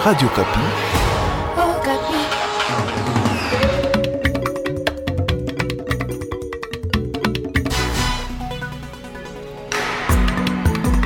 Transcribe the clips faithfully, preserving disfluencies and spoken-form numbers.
Radio Okapi.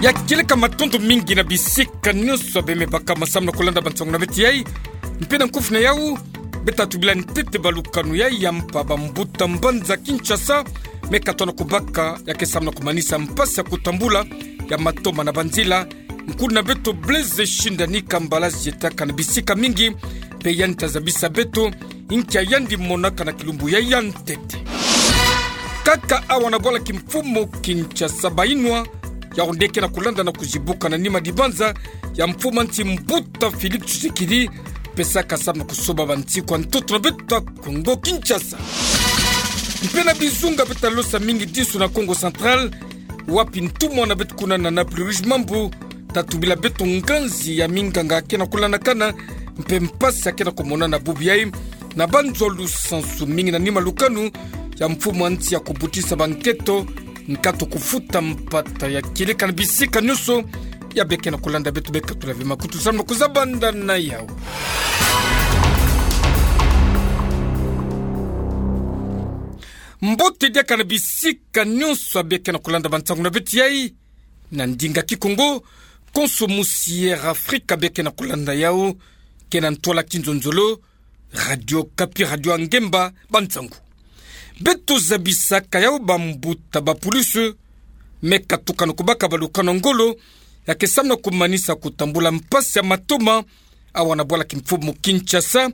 Ya kieleka matondo mingi na bisika nyonso bemebaka samu na kulanda bansangu na beto yai. Mpe na nkufi na yau, beta tubila ntete balukanu yai ya mpa bambuta mbanza Kinshasa, me katona kubaka ya ke samu na kumanisa mpasi ya kutambula ya matoma na banzila. Nkuna beto Blaise Shindani Kambala zietaka na bisika mingi, mpe yandi ta zabisa beto nkia yandi monaka na kilumbu yai ya ntete. Kaka awa na bwala kimfumu Kinshasa, bayinwa yao nde ke na kulanda na kuzibuka na nima dibanza ya mfumu a nsi mbuta Félix Tshisekedi, pesaka samu na kusoba bansiku ya ntoto na beto Kongo Kinshasa. Mpe na bizunga beta losa mingi disu na Kongo Central, wapi ntumwa na beto kuna na Naples Rouge Mambu ta tubila beto nganzi ya minganga ke na kulandakana, mpe mpasi ya ke na kumonana bubu yai na banzo lusansu mingi na nima lukanu ya mfumu a nsi ya kubutisa banketo, nkatu kufuta mpata ya kieleka na bisika nyonso ya beke na kulanda beto, beka tula ve makutu samu na kuzabanda na yau. Mbote diaka na bisika nyonso ya beke na kulanda bansangu na beto yai na ndinga Kikongo, konso musi ya Afrika beke na kulanda yau, ke na ntwala kinzonzolo, Radio Okapi, radio ya ngemba bansangu. Beto zabisaka yau bambuta bapulusi me katuka na kubaka balukanu ya ngolo ya ke samu na kumanisa kutambula mpasi ya matoma awa na bwala kimfumu Kinshasa,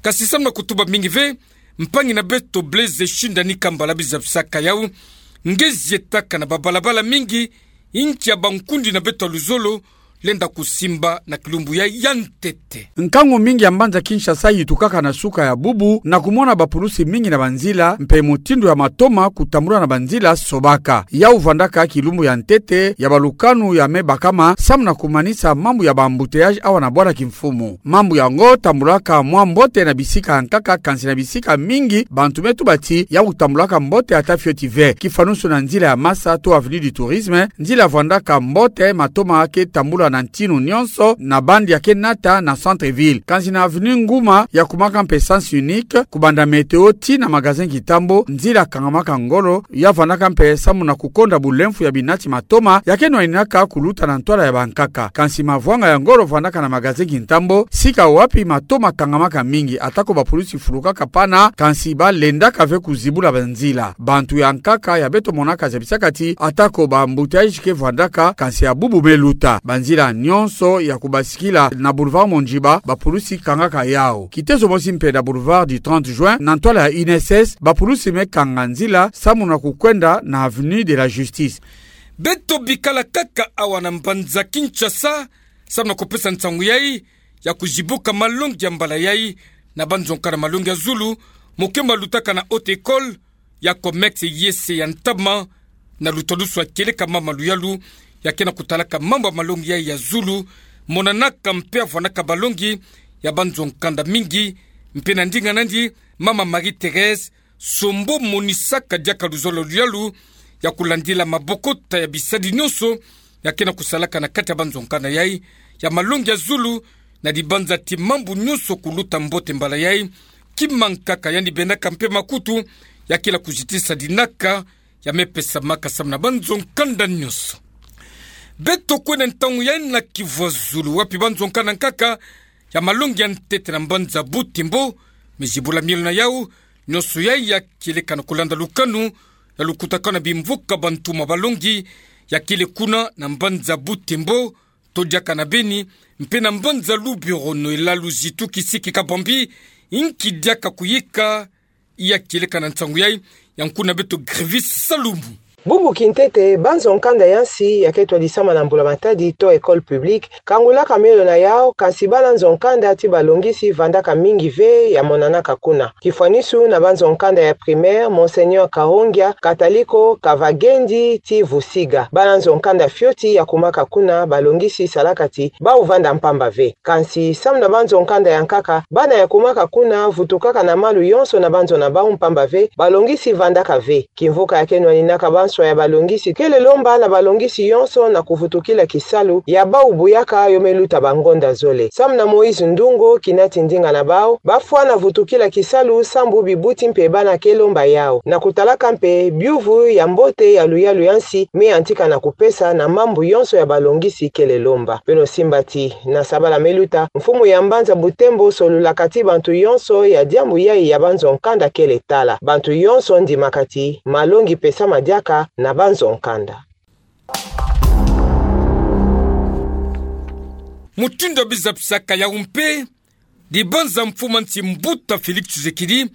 kasi samu na kutuba mingi ve, mpangi na beto Blaise Shindani Kambala bizabisaka yau nge zietaka na babalabala mingi, nkia bankundi na beto ya luzolo lenda kusimba na kilumbu yai ya ntete. Nkangu mingi ya mbanza Kinshasa yitukaka na suka ya bubu na kumona bapulusi mingi na banzila, mpe mutindu ya matoma kutambula na banzila sobaka. Yau vwandaka kilumbu ya ntete ya balukanu ya me bakama samu na kumanisa mambu ya ba-embouteillage awa na bwala kimfumu. Mambu yango tambulaka mwa mbote na bisika ya nkaka, kansi na bisika mingi bantu me tuba ti yau tambulaka mbote ata fioti ve. Kifanusu na nzila ya masa to Avenue du Tourisme, nzila vwandaka mbote, matoma ke tambula na ntinu nyonso na bande ya ke nata na centre-ville. Kansi na Avenue Nguma ya kumaka mpe sens unique, kubanda Météo tii na magasin Kintambo, nzila kangamaka ngolo, ya vwandaka mpe samu na kukonda bulemfu ya binati matoma ya ke nwaninaka kuluta na ntwala ya bankaka. Kansi mavwanga ya ngolo vwandaka na magasin Kintambo, sika wapi matoma kangamaka mingi, atako bapulusi fulukaka pana, kansi balendaka ve kuzibula banzila. Bantu ya nkaka ya beto monaka zabisaka ti atako ba-embouteillage ke vwandaka, kansi ya bubu me luta. Banzila nyonso ya kubasikila na boulevard Mondjiba, bapulusi kangaka yau. Kitezo mosi mpe na boulevard du trente juin, na ntwala ya I N S S, bapulusi me kanga nzila samu na kukwenda na Avenue de la Justice. Beto bikala kaka awa na mbanza Kinshasa samu na kupesa nsangu yai ya kuzibuka malongi ya mbala yai na banzo nkanda malongi ya zulu, mo ke malutaka na Haute École ya Comex, yese ya ntama, na lutadusu ya kieleka mama Luyalu ya ke na kutalaka mambu ya malongi yai ya zulu, monanaka mpe vwandaka balongi ya banzo nkanda mingi, mpe na ndinga nandi, mama Marie-Thérèse Sombo monisaka diaka luzolo Luyalu ya kulandila mabokota ya bisadi nyonso ya ke na kusalaka na kati ya banzo nkanda yai ya malongi ya zulu, na dibanza ti mambu nyonso kuluta mbote mbala yai. Kima nkaka yandi bendaka mpe makutu ya ke na kuzitisa dinaka ya me pesamaka samu na banzo nkanda nyonso. Beto kwenda ntangu yai na kivwazulu, wapi banzo nkanda nkaka ya malongi ya ntete na mbanza Butembo me zibula mielo na yau, nyonso yai ya kieleka na kulanda lukanu ya lukutakanu na bimvuka bantumwa balongi ya kele kuna na mbanza Butembo, to diaka na Beni, mpe na mbanza Lubero, Noëlla Luzitu Kisiki Kabambi, nki diaka kuyika, ya kieleka na nsangu yai ya nkuna beto Grivis Salumu. Bubu kintete, banzo nkanda ya nsi ya ke twadisama na mbula-matadi to école publique kangulaka mielo na yau, kansi bana nzo nkanda ti balongisi vandaka mingi ve ya monanaka kuna. Kifwanisu na banzo nkanda ya primaire Monseigneur Kahongia, Kataliko, Kavagendi ti Vusiga. Bana nzo nkanda fioti ya kumaka kuna balongisi salaka ti bau vanda mpamba ve. Kansi samu na banzo nkanda ya nkaka, bana ya kumaka kuna vutukaka na malu yonso na banzo na bau mpamba ve, balongisi vandaka ve. Kimvuka ya ke nwaninaka banso nyonso ya balongisi kele lomba na balongisi yonso na kuvutukila kisalu ya bau buyaka yo me luta bangonda zole. Samu na Moïse Ndungo, kinati ndinga na bau, bafwana vutukila kisalu sambu bibuti mpe bana ke lomba yau, na kutalaka mpe biuvu ya mbote ya luyalu ya nsi me yantika na kupesa na mambu yonso ya balongisi kele lomba. Beno simba ti, na sabala me luta, mfumu ya mbanza Butembo solulaka ti bantu yonso ya diambu yai ya banzo nkanda kele tala. Bantu yonso ndimaka ti malongi pesama diaka na banzo nkanda. Mutindu ya bizapisaka yau mpe, dibanza mfumu a nsi mbuta Félix Tshisekedi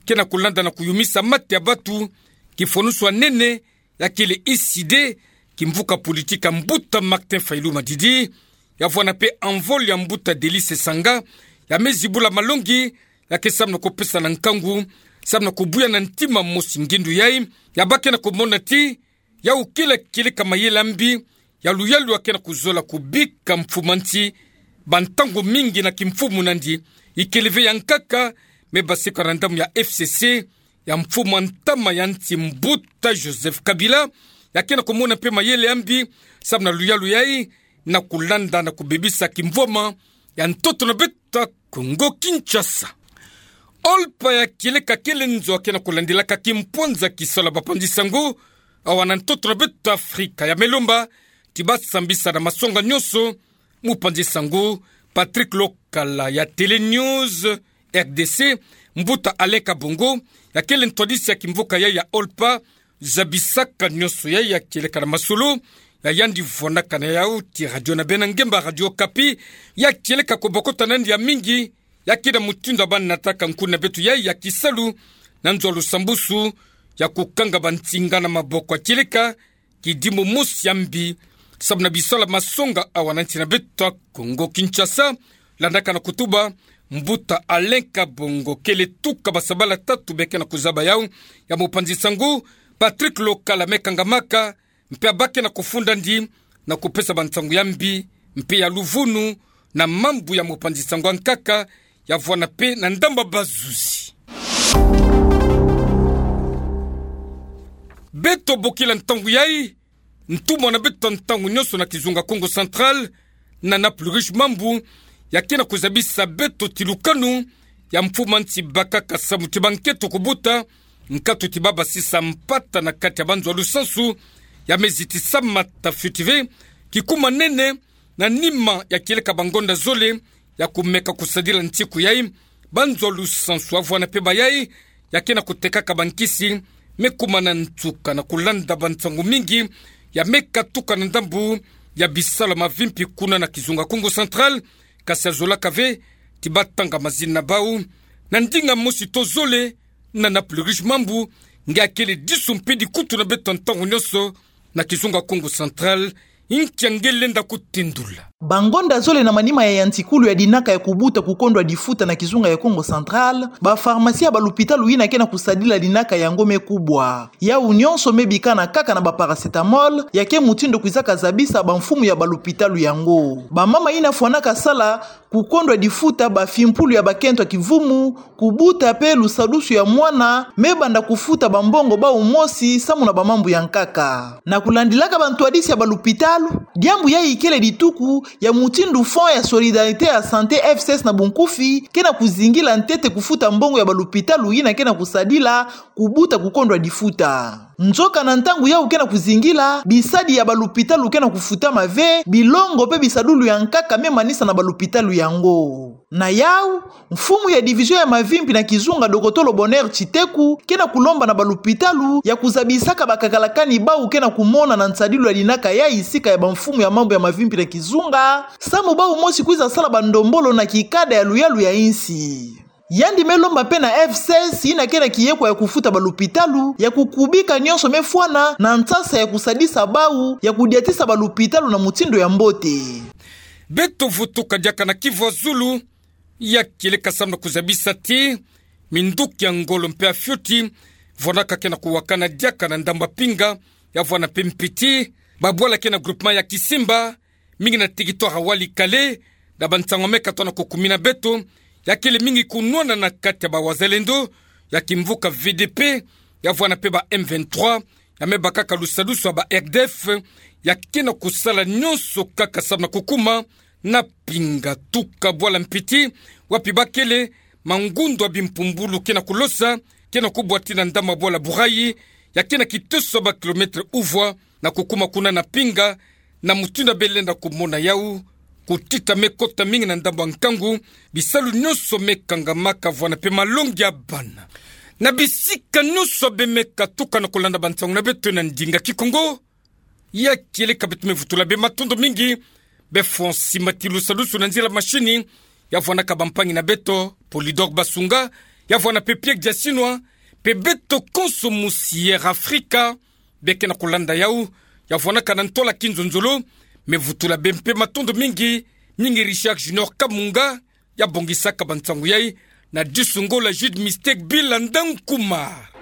ke na kulanda na kuyumisa mate ya batu, kifwanusu ya nene, ya kele I C D, kimvuka politique ya mbuta Martin Fayulu Madidi, ya vwanda mpe envol ya mbuta Delly Sesanga, ya me zibula malongi, ya ke samu na kupesa na nkangu, samu na kubuya na ntima mosi ngindu yai, ya ba ke na kumona ti, yau kele kieleka mayele ya mbi, ya luyalu ya ke na kuzola kubika mfumu a nsi, bantangu mingi na kimfumu nandi, ikele ve ya nkaka, me basika na ndambu ya F C C, ya mfumu a ntama ya nsi mbuta Joseph Kabila, ya ke na kumona mpe mayele ya mbi, samu na luyalu yai, na kulanda na kubebisa kimvwama ya ntoto na beto ya Kongo Kinshasa. OLPA ya kieleka kele nzo ya ke na kulandilaka kimpwanza kisalu ya bapanzi sango, awa na ntoto na beto ya Afrika ya me lomba ti basambisa na masonga nyonso mupanzi sango Patrick Lokala ya Télé News R D C, mbuta Alain Kabongo, ya kele ntwadisi ya kimvuka yai ya OLPA, zabisaka nyonso yai ya kieleka na masolo, ya yandi vwandaka na yau ti radio na bena ngemba Radio Okapi, ya kieleka kubokota nandi ya mingi, ya ke na mutindu ya banataka nkuna beto yai ya kisalu, na nzo ya lusambusu, ya kukanga bansinga na maboko ya kieleka, kidimbu mosi ya mbi, samu na bisalu ya masonga awa na nsi na beto ya Kongo Kinshasa, landaka na kutuba, mbuta Alain Kabongo kele tuka basabala tatu be ke na kuzaba yau, ya mupanzi sango Patrick Lokala me kangamaka, mpe ya ba ke na kufunda ndi, na kupesa bansangu ya mbi, mpe ya luvunu, na mambu ya mupanzi sango ya nkaka, ya vwanda mpe na ndambu ya bazuzi. Beto bokila ntangu yai, ntumwa na beto ya ntangu nyonso na kizunga Kongo Central, Nana Pluriche Mambu, ya ke na kuzabisa beto ti lukanu ya mfumu a nsi bakaka samu ti bankento kubuta, nkatu ti babasisa mpata na kati ya banzo ya lusansu, ya me zitisama ta fioti ve, kikuma nene, na nima ya kieleka bangonda zole, ya kumeka kusadila nsiku yai, banzo ya lusansu ya vwanda mpe bayai, ya ke na kutekaka bankisi, me kuma na nsuka na kulanda bansangu mingi, ya me katuka na ndambu ya bisalu ya mavimpi kuna na kizunga Kongo Central, kasi ya zolaka ve, ti batanga mazina na bau, na ndinga mosi to zole, Nana Pluriche Mambu, nge ya kele disu mpe dikutu na beto ya ntangu nyonso, na kizunga Kongo Central, nkia nge lenda kutindula. Bangonda zole na manima ya yantikulu ya dinaka ya kubuta kukondwa difuta na kizunga ya Kongo Central, bapharmacie ya balupitalu yina ke na kusadila dinaka yango me kubwa. Yau nyonso me bikana kaka na baparacétamol, ya ke mutindu kwizaka zabisa bamfumu ya balupitalu yango. Bamama yina fwanaka sala kukondwa difuta bafimpulu ya bakento ya kivumu, kubuta mpe lusadusu ya mwana, me banda kufuta bambongo bau mosi samu na bamambu ya nkaka. Na kulandilaka bantwadisi ya balupitalu, diambu yai ikele dituku ya mutindu Fonds ya Solidarité ya Santé, F C S na bunkufi, ke na kuzingila ntete kufuta mbongo ya balupitalu yina ke na kusadila kubuta kukondwa difuta. Nzoka na ntangu yau ke na kuzingila, bisadi ya balupitalu ke na kufutama ve, bilongo mpe bisadulu ya nkaka me manisa na balupitalu yango. Na yau, mfumu ya division ya mavimpi na kizunga, dokotolo Bonheur Tshiteku, ke na kulomba na balupitalu ya kuzabisaka bakakalakani bau ke na kumona na nsadilu ya dinaka yai sika ya bamfumu ya mambu ya mavimpi na kizunga, samu bau mosi kwiza sala bandombolo na kikada ya luyalu ya insi. Yandi me lomba mpe na F C S yina ke na kiyekwa ya kufuta balupitalu, ya kukubika nyonso me fwana na nsasa ya kusadisa bau ya kudiatisa balupitalu na mutindu ya mbote. Beto vutuka diaka na kivu ya zulu, ya kieleka samu na kuzabisa ti minduki ya ngolo mpe ya fioti, vwanaka ke na kuwakana diaka na ndambu ya Pinga, ya vwanda mpe Mpiti, babwala ke na groupement ya Kisimba, mingi na territoire ya Walikale, na bansangu me katoa na kukumina beto, ya kele mingi kunwana na kati ya bawazalendo ya kimvuka V D P, ya vwanda mpe ba M vingt-trois, ya me bakaka lusadusu ya ba RDF, ya ke na kusala nyonso kaka salu na kukuma na pinga tuka bwala mpiti, wapi bakele mangundu ya bimpumbulu ke na kulosa, ke na kubwa tii na ndambu ya bwala Burayi, ya ke na kitoso ya ba kilomètre uvwa, na kukuma kuna na pinga, na mutindu ya bele na kumona yau, kutita me kota mingi na ndambu ya nkangu, bisalu nyonso me kangama kavwanda mpe malongi ya bana. Na bisika nyonso beno me katuka na kulanda bansangu na beto na ndinga Kikongo, ya kieleka beto me vutula beno matondo mingi, be Francis Matilusa Lusu na nzila mashini, ya vwanaka bampangi na beto, Polydor Basunga, ya vwana mpe Pierre Diasinwa, mpe beto konso musi Air Afrika, be ke na kulanda yau, ya vwanaka na ntwala kinzonzolo, me vutula beno mpe matondo mingi, mingi Richard Junior Kamunga, ya bongisaka bansangu yai, na disungola Jude Mistake Bila Ndankuma.